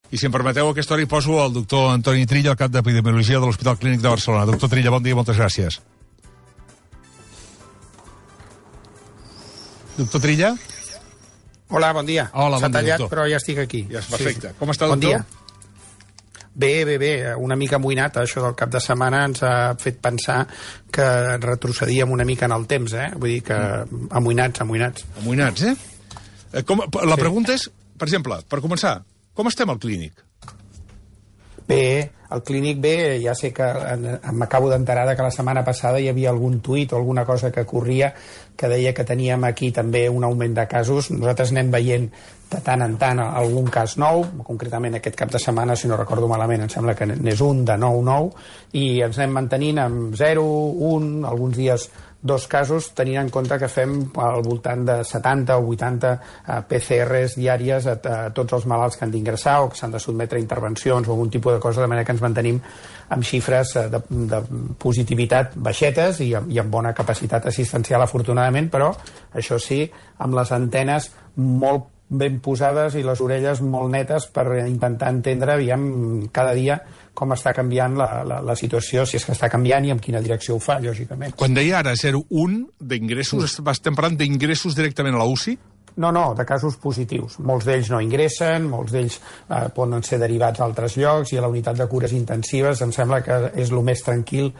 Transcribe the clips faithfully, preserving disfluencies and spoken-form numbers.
I si em permeteu, a aquesta hora hi poso el doctor Antoni Trilla, el cap d'Epidemiologia de l'Hospital Clínic de Barcelona. Doctor Trilla, bon dia i moltes gràcies. Doctor Trilla? Hola, bon dia. Hola, bon S'ha tallat, dia, però ja estic aquí. Ja és perfecte. Sí. Com està, bon doctor? Dia. Bé, bé, bé. Una mica amoïnat. Això del cap de setmana ens ha fet pensar que retrocedíem una mica en el temps, eh? Vull dir que amoïnats, amoïnats. Amoïnats, eh? Com, la sí. pregunta és, per exemple, per començar, com estem al clínic? Bé, al clínic bé, ja sé que m'acabo d'enterar que la setmana passada hi havia algun tuit o alguna cosa que corria que deia que teníem aquí també un augment de casos. Nosaltres anem veient de tant en tant algun cas nou, concretament aquest cap de setmana, si no recordo malament, em sembla que n'és un de nou nou, i ens anem mantenint amb zero, un, alguns dies dos casos, tenint en compte que fem al voltant de setanta o vuitanta P C Rs diàries a, a tots els malalts que han d'ingressar o que s'han de sotmetre a intervencions o algun tipus de cosa, de manera que ens mantenim amb xifres de, de positivitat baixetes i, i amb bona capacitat assistencial, afortunadament, però això sí, amb les antenes molt ben posades i les orelles molt netes per intentar entendre, aviam, cada dia com està canviant la, la, la situació, si és que està canviant i en quina direcció ho fa, lògicament. Quan deia ara zero coma un d'ingressos, mm. estem parlant d'ingressos directament a la U C I? No, no, de casos positius. Molts d'ells no ingressen, molts d'ells eh, poden ser derivats a altres llocs i a la unitat de cures intensives em sembla que és el més tranquil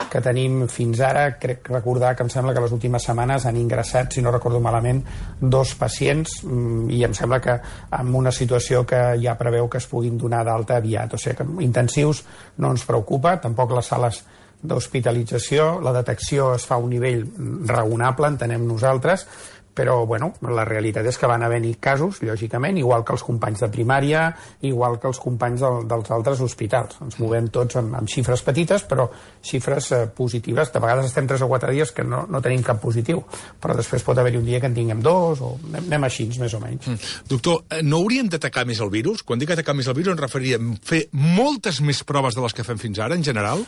que tenim fins ara. Crec recordar que em sembla que les últimes setmanes han ingressat, si no recordo malament, dos pacients i em sembla que amb una situació que ja preveu que es puguin donar d'alta aviat. O sigui que intensius no ens preocupa, tampoc les sales d'hospitalització, la detecció es fa a un nivell raonable, entenem nosaltres, però bueno, la realitat és que van haver-hi casos, lògicament, igual que els companys de primària, igual que els companys del, dels altres hospitals. Ens movem tots amb, amb xifres petites, però xifres eh, positives. De vegades estem tres o quatre dies que no, no tenim cap positiu, però després pot haver-hi un dia que en tinguem dos, o anem, anem així, més o menys. Mm. Doctor, no hauríem d'atacar més el virus? Quan dic atacar més el virus, ens referiríem a fer moltes més proves de les que fem fins ara, en general?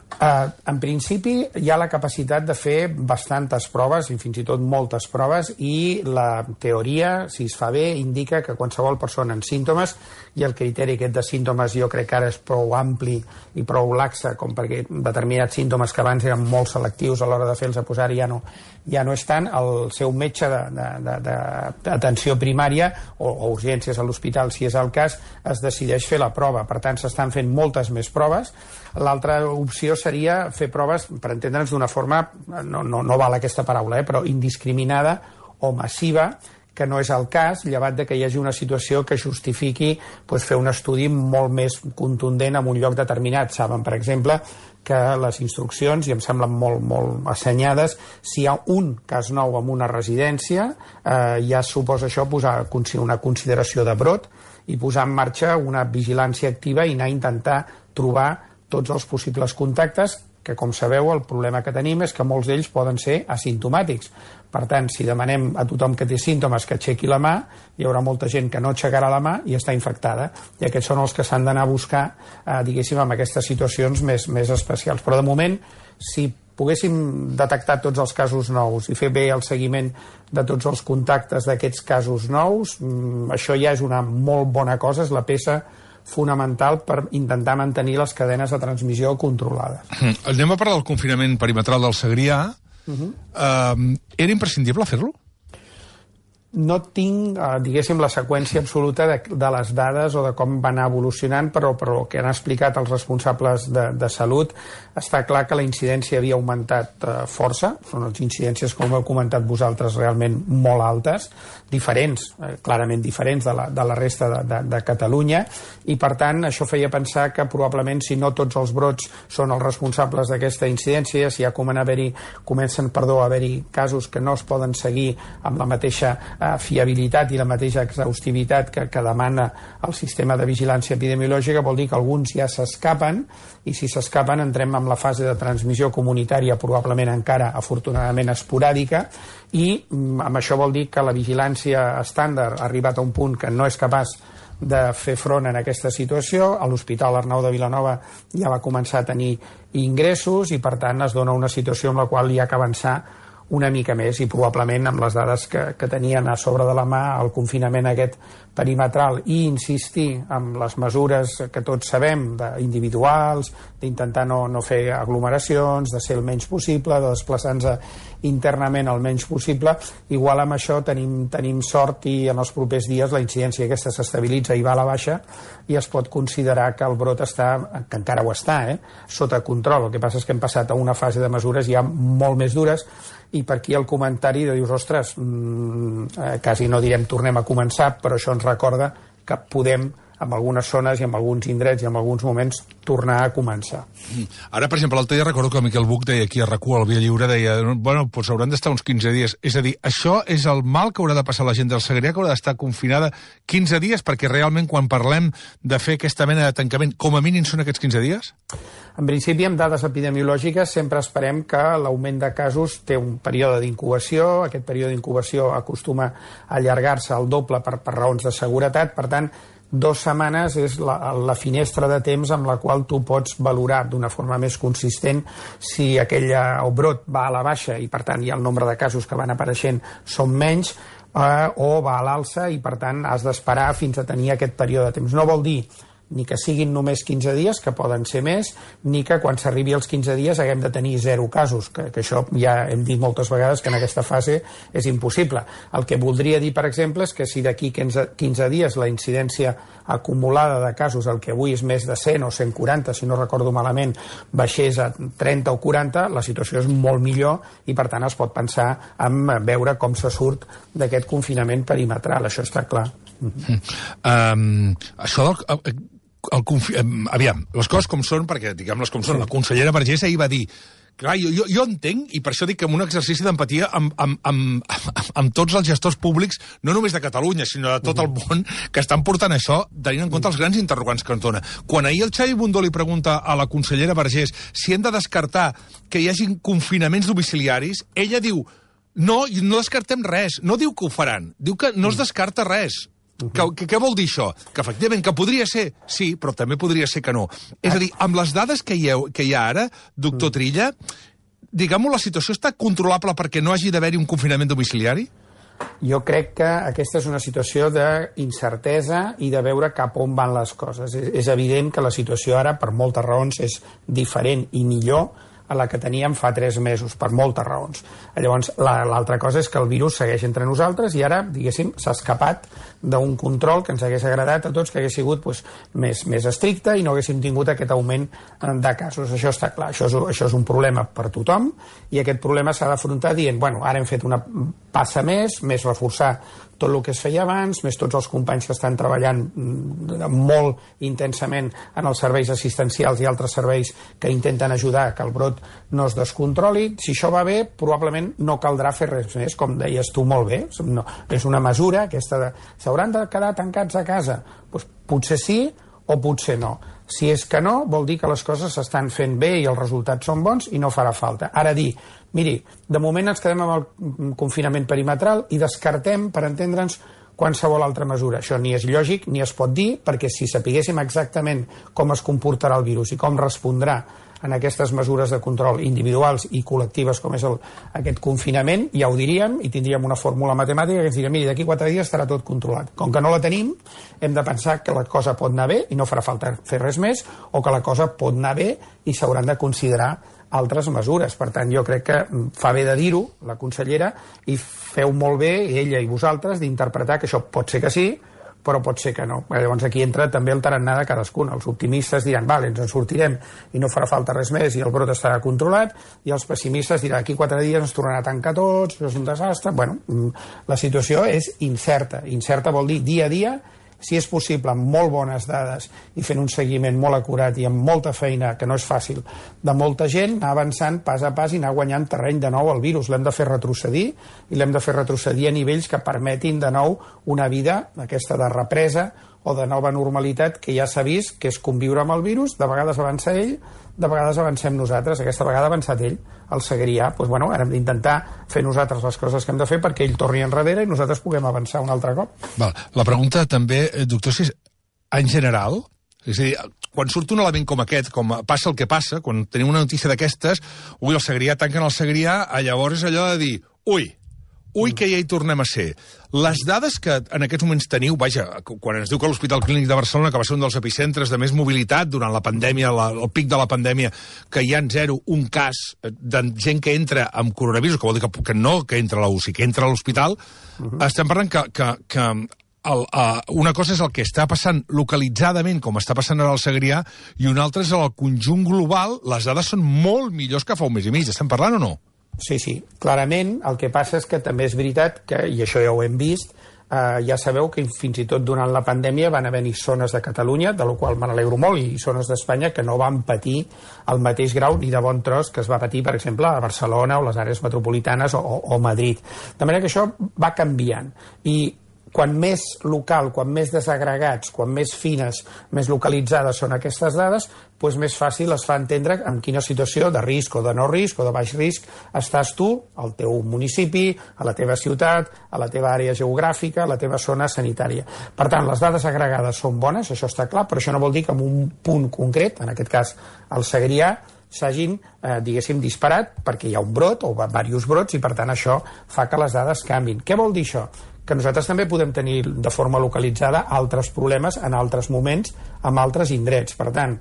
Uh, en principi hi ha la capacitat de fer bastantes proves i fins i tot moltes proves, i la teoria, si es fa bé, indica que qualsevol persona amb símptomes, i el criteri aquest de símptomes jo crec que ara és prou ampli i prou laxa com perquè determinats símptomes que abans eren molt selectius a l'hora de fer-los a posar ja no, ja no estan, el seu metge d'atenció primària o, o urgències a l'hospital, si és el cas, es decideix fer la prova. Per tant, s'estan fent moltes més proves. L'altra opció seria fer proves, per entendre'ns d'una forma, no, no, no val aquesta paraula, eh, però indiscriminada o massiva, que no és el cas, llevat de que hi hagi una situació que justifiqui pues, fer un estudi molt més contundent en un lloc determinat. Saben, per exemple, que les instruccions, i em semblen molt, molt assenyades, si hi ha un cas nou en una residència, eh, ja suposa això posar una consideració de brot i posar en marxa una vigilància activa i anar a intentar trobar tots els possibles contactes, que com sabeu el problema que tenim és que molts d'ells poden ser asimptomàtics. Per tant, si demanem a tothom que té símptomes que aixequi la mà, hi haurà molta gent que no aixecarà la mà i està infectada. I aquests són els que s'han d'anar a buscar, eh, diguéssim, en aquestes situacions més, més especials. Però de moment, si poguéssim detectar tots els casos nous i fer bé el seguiment de tots els contactes d'aquests casos nous, això ja és una molt bona cosa, és la peça fonamental per intentar mantenir les cadenes de transmissió controlades. Anem a parlar del confinament perimetral del Segrià. Uh-huh. Uh, era imprescindible fer-lo? No tinc, eh, diguéssim, la seqüència absoluta de, de les dades o de com va anar evolucionant, però, però el que han explicat els responsables de, de salut està clar que la incidència havia augmentat eh, força. Són les incidències, com heu comentat vosaltres, realment molt altes, diferents, eh, clarament diferents de la, de la resta de, de, de Catalunya, i per tant això feia pensar que probablement si no tots els brots són els responsables d'aquesta incidència, si ja comencen a haver-hi, comencen perdó, a haver-hi casos que no es poden seguir amb la mateixa fiabilitat i la mateixa exhaustivitat que, que demana el sistema de vigilància epidemiològica, vol dir que alguns ja s'escapen, i si s'escapen entrem en la fase de transmissió comunitària, probablement encara afortunadament esporàdica, i amb això vol dir que la vigilància estàndard ha arribat a un punt que no és capaç de fer front en aquesta situació. A l'Hospital Arnau de Vilanova ja va començar a tenir ingressos i per tant es dona una situació en la qual hi ha que avançar una mica més, i probablement amb les dades que, que tenien a sobre de la mà el confinament aquest perimetral i insistir en les mesures que tots sabem, individuals, d'intentar no, no fer aglomeracions, de ser el menys possible, de desplaçar-nos internament el menys possible, igual amb això tenim, tenim sort i en els propers dies la incidència aquesta s'estabilitza i va a la baixa i es pot considerar que el brot està, que encara ho està, eh, sota control. El que passa és que hem passat a una fase de mesures ja molt més dures i per aquí el comentari de dius, ostres, mmm, eh, quasi no direm tornem a començar, però això ens recorda que podem, en algunes zones i en alguns indrets i en alguns moments, tornar a començar. Ara, per exemple, l'altre dia recordo que el Miquel Buch deia aquí a RAC u, al Via Lliure, deia, bueno, doncs hauran d'estar uns quinze dies. És a dir, això és el mal que haurà de passar la gent del Segrià, que haurà d'estar confinada quinze dies, perquè realment quan parlem de fer aquesta mena de tancament, com a mínim són aquests quinze dies? En principi, amb dades epidemiològiques, sempre esperem que l'augment de casos té un període d'incubació, aquest període d'incubació acostuma a allargar-se al doble per, per raons de seguretat, per tant, dues setmanes és la, la finestra de temps amb la qual tu pots valorar d'una forma més consistent si aquell brot va a la baixa i per tant hi ha el nombre de casos que van apareixent són menys eh, o va a l'alça i per tant has d'esperar fins a tenir aquest període de temps. No vol dir ni que siguin només quinze dies, que poden ser més, ni que quan s'arribi als quinze dies haguem de tenir zero casos, que, que això ja hem dit moltes vegades que en aquesta fase és impossible. El que voldria dir, per exemple, és que si d'aquí quinze dies la incidència acumulada de casos, el que avui és més de cent o cent quaranta, si no recordo malament, baixés a trenta o quaranta, la situació és molt millor i, per tant, es pot pensar en veure com se surt d'aquest confinament perimetral, això està clar. Mm. Um, això del... El confi... Aviam, les coses com són, perquè diguem-les com són, sí. La consellera Vergés ahir va dir, clar, jo, jo, jo entenc, i per això dic que en un exercici d'empatia amb, amb, amb, amb, amb tots els gestors públics, no només de Catalunya, sinó de tot el món, que estan portant això, tenint en compte els grans interrogants que ens dona. Quan ahir el Xavi Bundó li pregunta a la consellera Vergés si hem de descartar que hi hagin confinaments domiciliaris, ella diu, no, no descartem res, no diu que ho faran, diu que no es descarta res. Uh-huh. Que, que, què vol dir això? Que efectivament, que podria ser, sí, però també podria ser que no. És a dir, amb les dades que hi ha, que hi ha ara, doctor Trilla, diguem-ho, la situació està controlable perquè no hagi d'haver-hi un confinament domiciliari? Jo crec que aquesta és una situació d'incertesa i de veure cap on van les coses. És, és evident que la situació ara, per moltes raons, és diferent i millor a la que teníem fa tres mesos, per moltes raons. Llavors, l'altra cosa és que el virus segueix entre nosaltres i ara, diguéssim, s'ha escapat d'un control que ens hagués agradat a tots, que hagués sigut doncs, més, més estricte i no haguéssim tingut aquest augment de casos. Això està clar, això és, això és un problema per tothom i aquest problema s'ha d'afrontar dient, bueno, ara hem fet una passa més, més reforçar tot el que es feia abans, més tots els companys que estan treballant molt intensament en els serveis assistencials i altres serveis que intenten ajudar que el brot no es descontroli. Si això va bé, probablement no caldrà fer res més, com deies tu molt bé. No, és una mesura aquesta de... S'hauran de quedar tancats a casa? Pues, potser sí o potser no. Si és que no, vol dir que les coses s'estan fent bé i els resultats són bons i no farà falta. Ara dir, miri, de moment ens quedem amb el confinament perimetral i descartem, per entendre'ns, qualsevol altra mesura. Això ni és lògic ni es pot dir, perquè si sapiguéssim exactament com es comportarà el virus i com respondrà en aquestes mesures de control individuals i col·lectives com és el, aquest confinament, ja ho diríem i tindríem una fórmula matemàtica que ens diria, miri, d'aquí quatre dies estarà tot controlat. Com que no la tenim, hem de pensar que la cosa pot anar bé i no farà falta fer res més, o que la cosa pot anar bé i s'hauran de considerar altres mesures. Per tant, jo crec que fa bé de dir-ho, la consellera, i feu molt bé, ella i vosaltres, d'interpretar que això pot ser que sí, però pot ser que no. Llavors aquí entra també el tarannà de cadascun. Els optimistes diran, vale, ens en sortirem i no farà falta res més i el brot estarà controlat, i els pessimistes diran, aquí quatre dies ens tornarà a tancar tots, això és un desastre. Bueno, la situació és incerta. Incerta vol dir dia a dia, si és possible, amb molt bones dades i fent un seguiment molt acurat i amb molta feina, que no és fàcil, de molta gent, anar avançant pas a pas i anar guanyant terreny de nou al virus. L'hem de fer retrocedir i l'hem de fer retrocedir a nivells que permetin de nou una vida, aquesta de represa o de nova normalitat, que ja s'ha vist que és conviure amb el virus. De vegades avança ell, de vegades avancem nosaltres. Aquesta vegada ha avançat ell, el Segrià. Doncs, bueno, ara hem d'intentar fer nosaltres les coses que hem de fer perquè ell torni enrere i nosaltres puguem avançar un altre cop. Val. La pregunta també, doctor, si és en general, és a dir, quan surt un element com aquest, com passa el que passa, quan tenim una notícia d'aquestes, ui, el Segrià, tanquen el Segrià, llavors és allò de dir, ui, ui, que ja hi tornem a ser. Les dades que en aquests moments teniu, vaja, quan ens diu que l'Hospital Clínic de Barcelona, que va ser un dels epicentres de més mobilitat durant la pandèmia, la, el pic de la pandèmia, que hi ha en zero un cas de gent que entra amb coronavirus, que vol dir que, que no que entra a la U C I, que entra a l'hospital, uh-huh. estem parlant que... que, que El, uh, una cosa és el que està passant localitzadament, com està passant ara al Segrià, i una altra és el conjunt global. Les dades són molt millors que fa un mes i mig. Estem parlant o no? Sí, sí. Clarament, el que passa és que també és veritat que, i això ja ho hem vist, eh, ja sabeu que fins i tot durant la pandèmia van haver-hi zones de Catalunya, de la qual me n'alegro molt, i zones d'Espanya que no van patir el mateix grau ni de bon tros que es va patir, per exemple, a Barcelona o les àrees metropolitanes o, o Madrid. De manera que això va canviant. I quan més local, quan més desagregats, quan més fines, més localitzades són aquestes dades, doncs més fàcil es fa entendre en quina situació de risc o de no risc o de baix risc estàs tu, al teu municipi, a la teva ciutat, a la teva àrea geogràfica, a la teva zona sanitària. Per tant, les dades agregades són bones, això està clar, però això no vol dir que en un punt concret, en aquest cas el Segrià, s'hagin, eh, diguéssim, disparat perquè hi ha un brot o diversos brots i per tant això fa que les dades canvin. Què vol dir això? Que nosaltres també podem tenir de forma localitzada altres problemes en altres moments amb altres indrets. Per tant,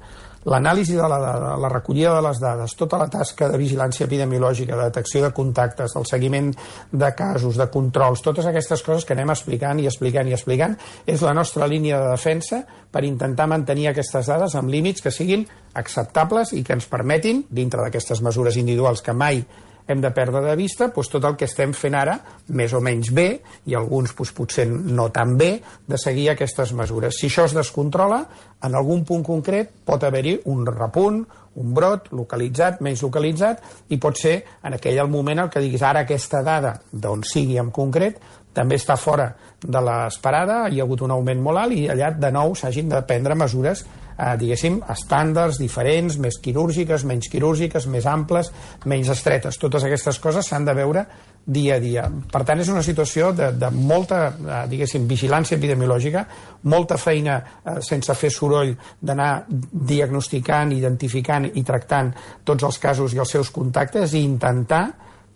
l'anàlisi de la dada, la recollida de les dades, tota la tasca de vigilància epidemiològica, de detecció de contactes, el seguiment de casos, de controls, totes aquestes coses que anem explicant i explicant i explicant, és la nostra línia de defensa per intentar mantenir aquestes dades amb límits que siguin acceptables i que ens permetin, dintre d'aquestes mesures individuals que mai hem de perdre de vista, doncs, tot el que estem fent ara, més o menys bé, i alguns doncs, potser no tan bé, de seguir aquestes mesures. Si això es descontrola, en algun punt concret pot haver-hi un repunt, un brot localitzat, menys localitzat, i pot ser en aquell moment el que diguis ara aquesta dada, d'on sigui en concret, també està fora de l'esperada, hi ha hagut un augment molt alt i allà de nou s'hagin de prendre mesures, eh, diguéssim, estàndards, diferents, més quirúrgiques, menys quirúrgiques, més amples, menys estretes. Totes aquestes coses s'han de veure dia a dia. Per tant, és una situació de, de molta, eh, diguéssim, vigilància epidemiològica, molta feina eh, sense fer soroll d'anar diagnosticant, identificant i tractant tots els casos i els seus contactes i intentar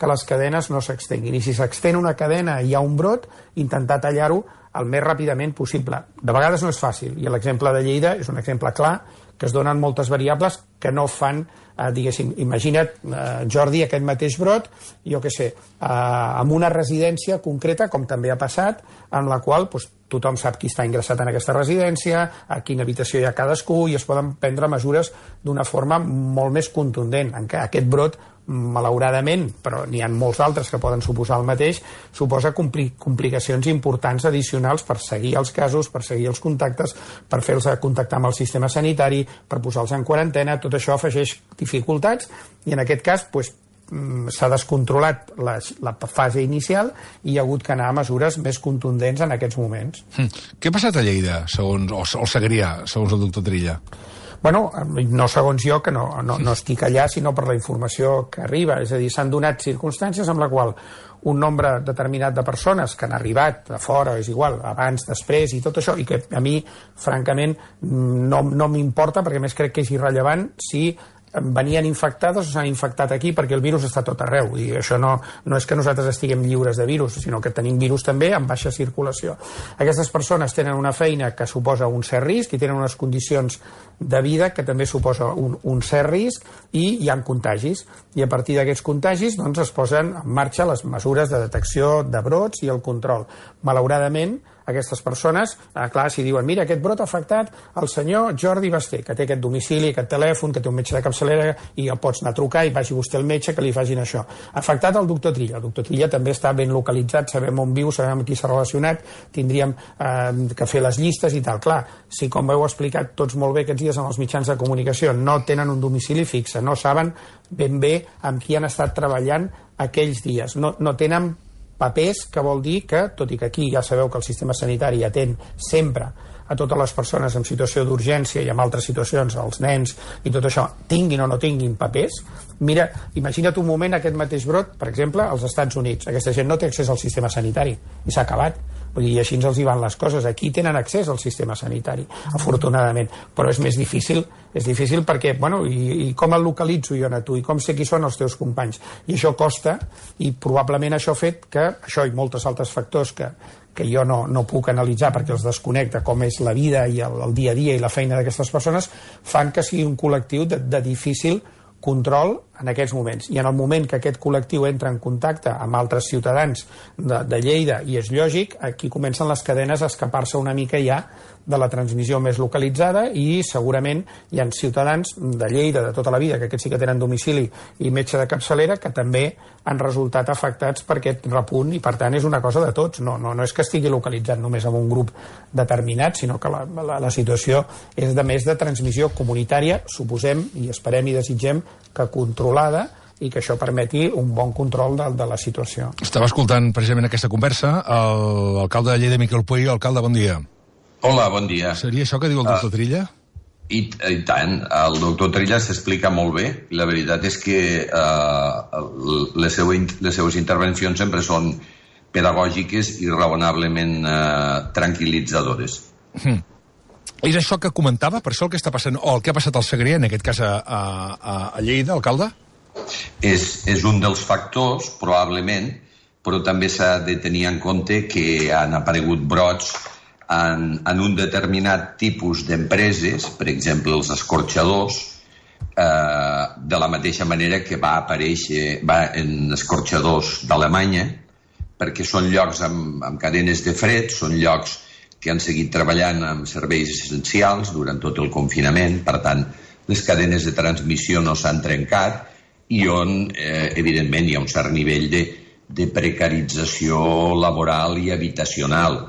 que les cadenes no s'extenguin. I si s'extén una cadena i hi ha un brot, intentar tallar-ho el més ràpidament possible. De vegades no és fàcil, i l'exemple de Lleida és un exemple clar que es donen moltes variables que no fan, eh, diguéssim, imagina't, eh, Jordi, aquest mateix brot, jo què sé, eh, amb una residència concreta, com també ha passat, en la qual doncs, tothom sap qui està ingressat en aquesta residència, a quina habitació hi ha cadascú, i es poden prendre mesures d'una forma molt més contundent. En què aquest brot, malauradament, però n'hi ha molts altres que poden suposar el mateix, suposa compli complicacions importants addicionals per seguir els casos, per seguir els contactes, per fer-los contactar amb el sistema sanitari, per posar-los en quarantena. Tot això afegeix dificultats i en aquest cas doncs, s'ha descontrolat la, la fase inicial i hi ha hagut que anar a mesures més contundents en aquests moments. Mm. Què ha passat a Lleida, segons, o al Segrià, segons el doctor Trilla? Bueno, no segons jo, que no, no, no estic allà, sinó per la informació que arriba. És a dir, s'han donat circumstàncies amb la qual un nombre determinat de persones que han arribat de fora, és igual, abans, després i tot això, i que a mi, francament, no, no m'importa, perquè més crec que és irrellevant si venien infectades o s'han infectat aquí, perquè el virus està tot arreu, i això no, no és que nosaltres estiguem lliures de virus, sinó que tenim virus també amb baixa circulació. Aquestes persones tenen una feina que suposa un cert risc i tenen unes condicions de vida que també suposa un, un cert risc, i hi ha contagis, i a partir d'aquests contagis doncs, es posen en marxa les mesures de detecció de brots i el control. Malauradament, aquestes persones, eh, clar, si diuen mira, aquest brot ha afectat el senyor Jordi Basté, que té aquest domicili, aquest telèfon, que té un metge de capçalera i el pots anar a trucar i vagi vostè al metge que li facin això. Ha afectat el doctor Trilla. El doctor Trilla també està ben localitzat, sabem on viu, sabem amb qui s'ha relacionat, tindríem eh, que fer les llistes i tal. Clar, si com heu explicat tots molt bé aquests dies en els mitjans de comunicació no tenen un domicili fixe, no saben ben bé amb qui han estat treballant aquells dies, no, no tenen papers, que vol dir que, tot i que aquí ja sabeu que el sistema sanitari atén sempre a totes les persones en situació d'urgència i en altres situacions, els nens i tot això, tinguin o no tinguin papers, mira, imagina't un moment aquest mateix brot, per exemple, als Estats Units. Aquesta gent no té accés al sistema sanitari i s'ha acabat. Vull dir, i així els hi van les coses. Aquí tenen accés al sistema sanitari, afortunadament, però és més difícil, és difícil perquè, bueno, i, i com el localitzo jo a tu, i com sé qui són els teus companys, i això costa, i probablement això ha fet que, això i molts altres factors que, que jo no, no puc analitzar perquè els desconnecta, com és la vida i el, el dia a dia i la feina d'aquestes persones, fan que sigui un col·lectiu de, de difícil control en aquests moments. I en el moment que aquest col·lectiu entra en contacte amb altres ciutadans de, de Lleida, i és lògic, aquí comencen les cadenes a escapar-se una mica ja de la transmissió més localitzada, i segurament hi ha ciutadans de Lleida de tota la vida, que aquests sí que tenen domicili i metge de capçalera, que també han resultat afectats per aquest repunt, i per tant és una cosa de tots. No, no, no és que estigui localitzat només en un grup determinat, sinó que la, la, la situació és de més de transmissió comunitària, suposem i esperem i desitgem que controlada, i que això permeti un bon control de, de la situació. Estava escoltant precisament aquesta conversa l'alcalde de Lleida, Miquel Puig. Alcalde, bon dia. Hola, bon dia. Seria això que diu el doctor uh, Trilla? I, I tant. El doctor Trilla s'explica molt bé. La veritat és que uh, les, seu, les seues intervencions sempre són pedagògiques i raonablement uh, tranquil·litzadores. Hmm. És això que comentava, per això el que està passant, o el que ha passat al Segrià, en aquest cas a, a, a Lleida, alcalde? És, és un dels factors, probablement, però també s'ha de tenir en compte que han aparegut brots en, en un determinat tipus d'empreses, per exemple els escorxadors, eh, de la mateixa manera que va aparèixer va en escorxadors d'Alemanya, perquè són llocs amb, amb cadenes de fred, són llocs que han seguit treballant amb serveis essencials durant tot el confinament, per tant, les cadenes de transmissió no s'han trencat, i on, eh, evidentment, hi ha un cert nivell de, de precarització laboral i habitacional.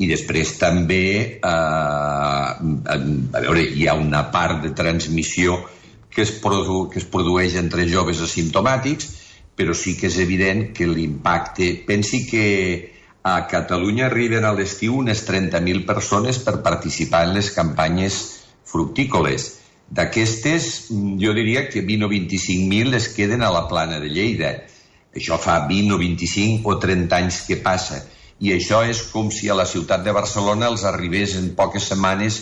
I després també, eh, a veure, hi ha una part de transmissió que es, produ que es produeix entre joves asimptomàtics, però sí que és evident que l'impacte... Pensi que a Catalunya arriben a l'estiu unes trenta mil persones per participar en les campanyes fructícoles. D'aquestes, jo diria que vint o vint-i-cinc mil es queden a la plana de Lleida. Això fa vint o vint-i-cinc o trenta anys que passa. I això és com si a la ciutat de Barcelona els arribés en poques setmanes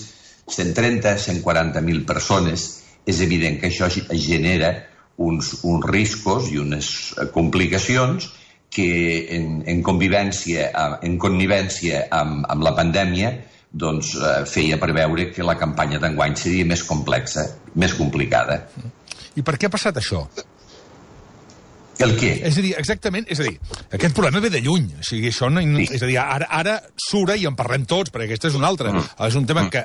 cent trenta a cent quaranta mil persones. És evident que això genera uns, uns riscos i unes complicacions que en, en convivència, en connivència amb, amb la pandèmia, doncs eh, feia preveure que la campanya d'enguany seria més complexa, més complicada. I per què ha passat això? El què? És a dir, exactament, és a dir, aquest problema ve de lluny, o sigui, això no, sí. És a dir, ara, ara sura i en parlem tots, perquè aquest és un altre. Mm. És un tema que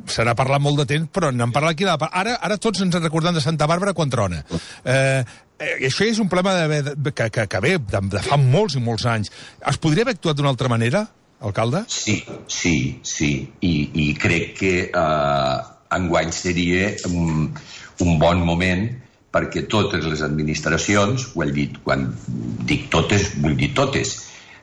se n'ha parlat molt de temps, però n'hem parlat aquí. Ara, ara tots ens en recordem de Santa Bàrbara quan trona. Eh, eh, això és un problema de, de, que, que, que ve de, de fa molts i molts anys. Es podria haver actuat d'una altra manera, alcalde? Sí, sí, sí. I, i crec que eh, enguany seria un, un bon moment perquè totes les administracions, ho he dit, quan dic totes, vull dir totes,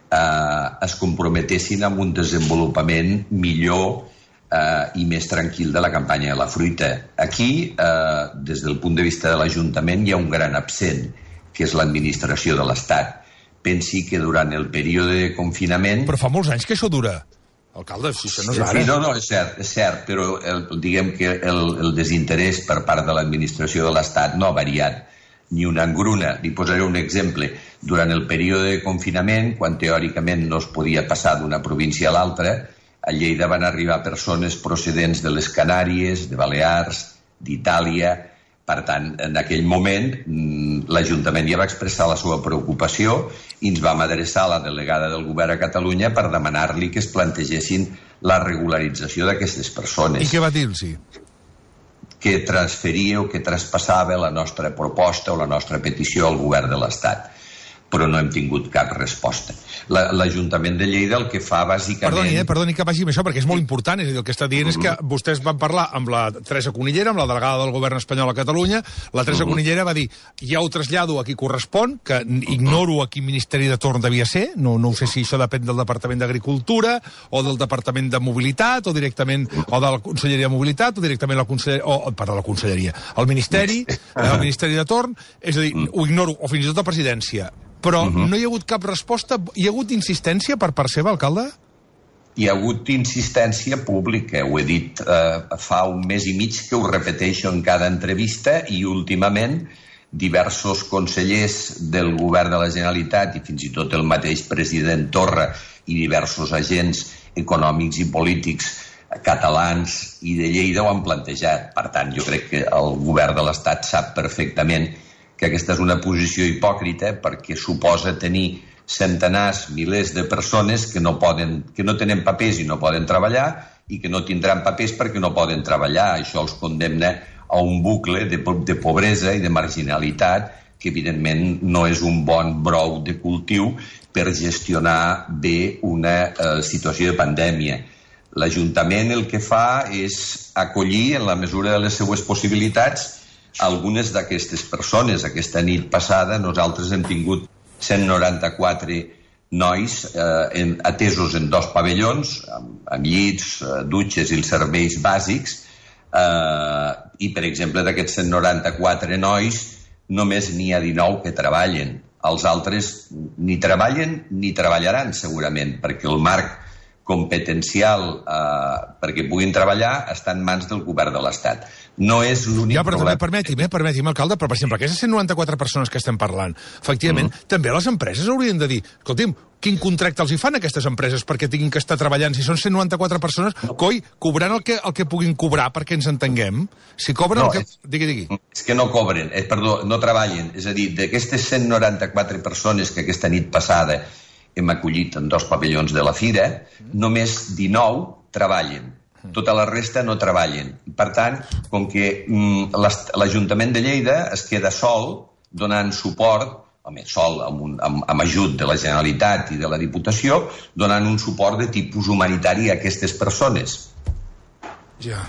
eh, es comprometessin amb un desenvolupament millor eh, i més tranquil de la campanya de la fruita. Aquí, eh, des del punt de vista de l'Ajuntament, hi ha un gran absent, que és l'administració de l'Estat. Pensi que durant el període de confinament... Però fa molts anys que això dura. Alcalde, si això no és ara... Sí, no, no, és cert, és cert, però el, diguem que el, el desinterès per part de l'administració de l'Estat no ha variat ni una engruna. Li posaré un exemple. Durant el període de confinament, quan teòricament no es podia passar d'una província a l'altra, a Lleida van arribar persones procedents de les Canàries, de Balears, d'Itàlia. Per tant, en aquell moment, l'Ajuntament ja va expressar la seva preocupació i ens vam adreçar a la delegada del govern a Catalunya per demanar-li que es plantegessin la regularització d'aquestes persones. I què va dir-los? Que transferia o que traspassava la nostra proposta o la nostra petició al govern de l'Estat. Però no hem tingut cap resposta. L'Ajuntament de Lleida el que fa bàsicament... Perdoni, eh? Perdoni que vagi amb això, perquè és molt important. És a dir, el que està dient mm -hmm. és que vostès van parlar amb la Teresa Conillera, amb la delegada del govern espanyol a Catalunya. La Teresa mm -hmm. Conillera va dir, ja ho trasllado a qui correspon, que ignoro a quin ministeri de torn devia ser, no, no sé si això depèn del Departament d'Agricultura, o del Departament de Mobilitat, o directament, o de la Conselleria de Mobilitat, o directament la Conselleria, o, perdó, la Conselleria, el Ministeri, el Ministeri de torn, és a dir, ho ignoro, o fins i tot la presidència. Però uh -huh. no hi ha hagut cap resposta? Hi ha hagut insistència per part seva, alcalde? hi ha hagut insistència pública. Ho he dit eh, fa un mes i mig que ho repeteixo en cada entrevista, i últimament diversos consellers del govern de la Generalitat i fins i tot el mateix president Torra i diversos agents econòmics i polítics catalans i de Lleida ho han plantejat. Per tant, jo crec que el govern de l'Estat sap perfectament que aquesta és una posició hipòcrita, perquè suposa tenir centenars, milers de persones que no, poden, que no tenen papers i no poden treballar, i que no tindran papers perquè no poden treballar. Això els condemna a un bucle de, de pobresa i de marginalitat que, evidentment, no és un bon brou de cultiu per gestionar bé una eh, situació de pandèmia. L'Ajuntament el que fa és acollir, en la mesura de les seues possibilitats, algunes d'aquestes persones. Aquesta nit passada nosaltres hem tingut cent noranta-quatre nois eh, en, atesos en dos pavellons, amb, amb llits, eh, dutxes i els serveis bàsics, eh, i, per exemple, d'aquests cent noranta-quatre nois, només n'hi ha dinou que treballen. Els altres ni treballen ni treballaran, segurament, perquè el marc competencial eh, perquè puguin treballar està en mans del govern de l'Estat. No és l'únic ja, però problema... També, permeti'm, eh, permeti'm, alcalde, però, per exemple, aquestes cent noranta-quatre persones que estem parlant, efectivament, mm. també les empreses haurien de dir, escolti'm, quin contracte els hi fan a aquestes empreses perquè tinguin que estar treballant? Si són cent noranta-quatre persones, coi, cobrant el que, el que puguin cobrar perquè ens entenguem. Si cobren no, el que... És, digui, digui. És que no cobren, eh, perdó, no treballen. És a dir, d'aquestes cent noranta-quatre persones que aquesta nit passada hem acollit en dos pavellons de la fira, mm. només dinou treballen. Tota la resta no treballen. Per tant, com que mm, l'Ajuntament de Lleida es queda sol donant suport, home, sol amb, un, amb, amb ajut de la Generalitat i de la Diputació, donant un suport de tipus humanitari a aquestes persones. Ja.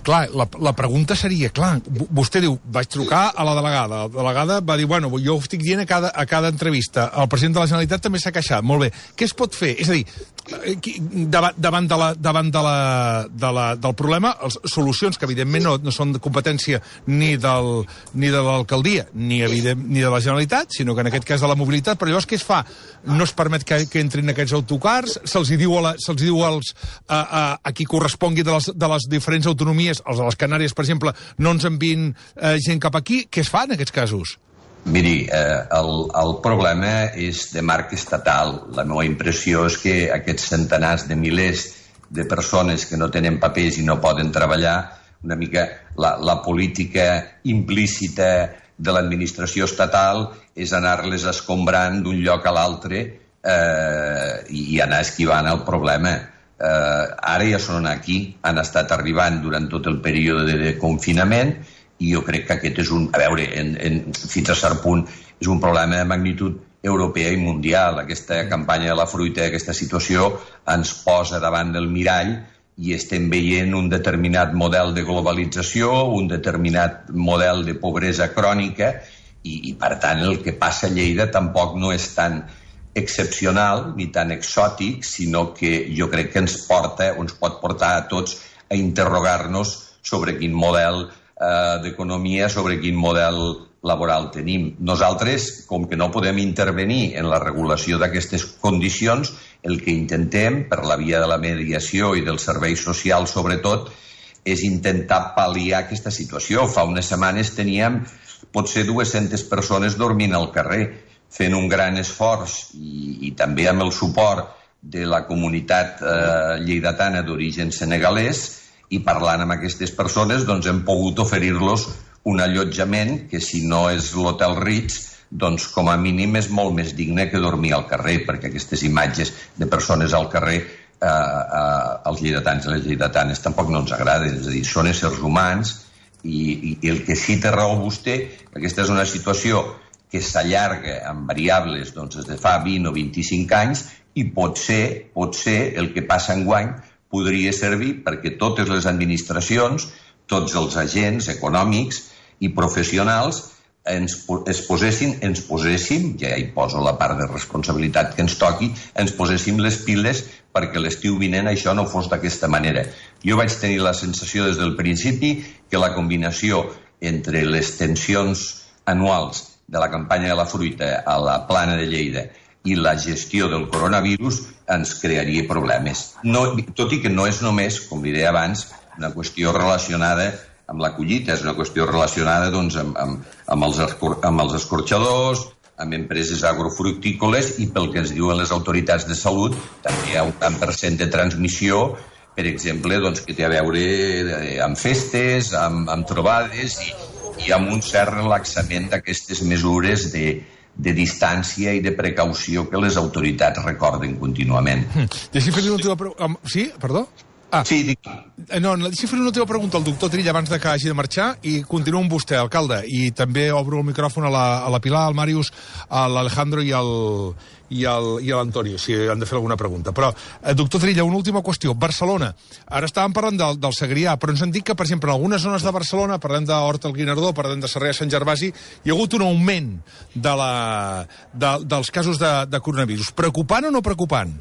Clar, la, la pregunta seria, clar, vostè diu, vaig trucar a la delegada, la delegada va dir, bueno, jo ho estic dient a cada, a cada entrevista, el president de la Generalitat també s'ha queixat, molt bé, què es pot fer? És a dir, davant, davant, de la, davant de la, de la, del problema, les solucions que evidentment no, no són de competència ni, del, ni de l'alcaldia, ni, evident, ni de la Generalitat, sinó que en aquest cas de la mobilitat, però llavors què es fa? No es permet que, que entrin aquests autocars, se'ls diu, a la, se'ls diu als, a, a, a qui correspongui de les, de les diferents autonomies, els de les Canàries, per exemple, no ens envien eh, gent cap aquí. Què es fa en aquests casos? Miri, eh, el, el problema és de marc estatal. La meva impressió és que aquests centenars de milers de persones que no tenen papers i no poden treballar, una mica la, la política implícita de l'administració estatal és anar-les escombrant d'un lloc a l'altre eh, i anar esquivant el problema. Uh, ara ja són aquí, han estat arribant durant tot el període de, de confinament, i jo crec que aquest és un, a veure, en, en, fins a cert punt és un problema de magnitud europea i mundial. Aquesta campanya de la fruita, aquesta situació ens posa davant del mirall i estem veient un determinat model de globalització, un determinat model de pobresa crònica, i, i per tant el que passa a Lleida tampoc no és tan excepcional ni tan exòtic, sinó que jo crec que ens porta o ens pot portar a tots a interrogar-nos sobre quin model eh, d'economia, sobre quin model laboral tenim. Nosaltres, com que no podem intervenir en la regulació d'aquestes condicions, el que intentem, per la via de la mediació i dels serveis socials sobretot, és intentar pal·liar aquesta situació. Fa unes setmanes teníem potser dues-centes persones dormint al carrer, fent un gran esforç i, i també amb el suport de la comunitat eh, lleidatana d'origen senegalès, i parlant amb aquestes persones doncs hem pogut oferir-los un allotjament que, si no és l'Hotel Ritz, doncs com a mínim és molt més digne que dormir al carrer, perquè aquestes imatges de persones al carrer eh, eh, als lleidatans i les lleidatanes tampoc no ens agraden. És a dir, són éssers humans i, i el que sí té raó vostè, aquesta és una situació que s'allarga amb variables doncs, des de fa vint o vint-i-cinc anys, i potser, potser el que passa enguany podria servir perquè totes les administracions, tots els agents econòmics i professionals ens, es posessin, ens poséssim, ja hi poso la part de responsabilitat que ens toqui, ens poséssim les piles perquè l'estiu vinent això no fos d'aquesta manera. Jo vaig tenir la sensació des del principi que la combinació entre les tensions anuals de la campanya de la fruita a la plana de Lleida i la gestió del coronavirus ens crearia problemes. No, tot i que no és només, com li deia abans, una qüestió relacionada amb la collita, és una qüestió relacionada doncs, amb, amb, amb, els escor amb els escorxadors, amb empreses agrofructícoles i pel que ens diuen les autoritats de salut també hi ha un tant per cent de transmissió, per exemple, doncs, que té a veure amb festes, amb, amb trobades i, i amb un cert relaxament d'aquestes mesures de, de distància i de precaució que les autoritats recorden contínuament. Mm. Deixi fer-li una última pregunta. Sí? Perdó? Ah, sí, dic... No, deixi fer una última pregunta al doctor Trilla abans de que hagi de marxar i continuo amb vostè, alcalde, i també obro el micròfon a la, a la Pilar, al Màrius, a l'Alejandro i al i l'Antonio, si han de fer alguna pregunta. Però, eh, doctor Trilla, una última qüestió. Barcelona. Ara estàvem parlant del, del Segrià, però ens han dit que, per exemple, en algunes zones de Barcelona, parlem d'Horta al Guinardó, parlem de Sarrià Sant Gervasi, hi ha hagut un augment de la, de, dels casos de, de coronavirus. Preocupant o no preocupant?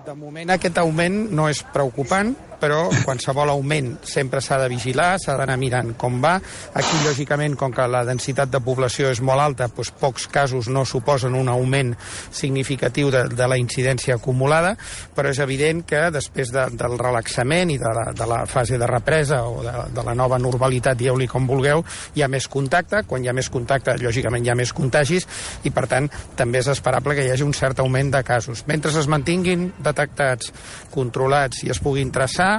De moment aquest augment no és preocupant, però qualsevol augment sempre s'ha de vigilar, s'ha d'anar mirant com va. Aquí, lògicament, com que la densitat de població és molt alta, doncs pocs casos no suposen un augment significatiu de, de la incidència acumulada, però és evident que després de, del relaxament i de la, de la fase de represa o de, de la nova normalitat, dieu-li com vulgueu, hi ha més contacte. Quan hi ha més contacte, lògicament hi ha més contagis i, per tant, també és esperable que hi hagi un cert augment de casos. Mentre es mantinguin detectats, controlats i es puguin traçar,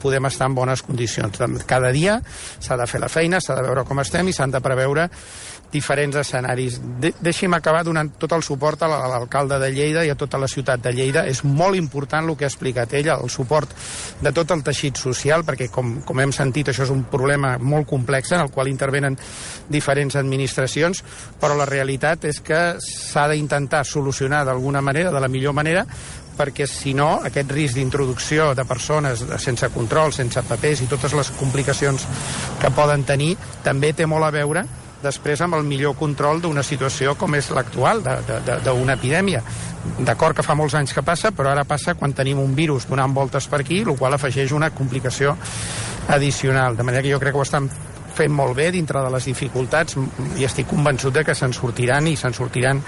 podem estar en bones condicions. Cada dia s'ha de fer la feina, s'ha de veure com estem i s'han de preveure diferents escenaris. De Deixi'm acabar donant tot el suport a l'alcalde de Lleida i a tota la ciutat de Lleida. És molt important el que ha explicat ella, el suport de tot el teixit social, perquè, com, com hem sentit, això és un problema molt complex en el qual intervenen diferents administracions, però la realitat és que s'ha d'intentar solucionar d'alguna manera, de la millor manera, perquè si no, aquest risc d'introducció de persones sense control, sense papers i totes les complicacions que poden tenir, també té molt a veure després amb el millor control d'una situació com és l'actual, d'una epidèmia. D'acord que fa molts anys que passa, però ara passa quan tenim un virus donant voltes per aquí, el qual afegeix una complicació addicional. De manera que jo crec que ho estan fent molt bé dintre de les dificultats i estic convençut de que se'n sortiran i se'n sortiran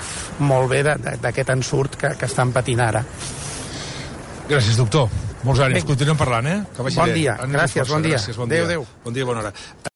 molt bé d'aquest ensurt que, que estan patint ara. Gràcies, doctor. Molts ànims. Continuem parlant, eh? Que vagi bon bé. dia. Ànims gràcies, força. bon dia. Gràcies, bon adéu, dia. adéu. Bon dia, bona hora.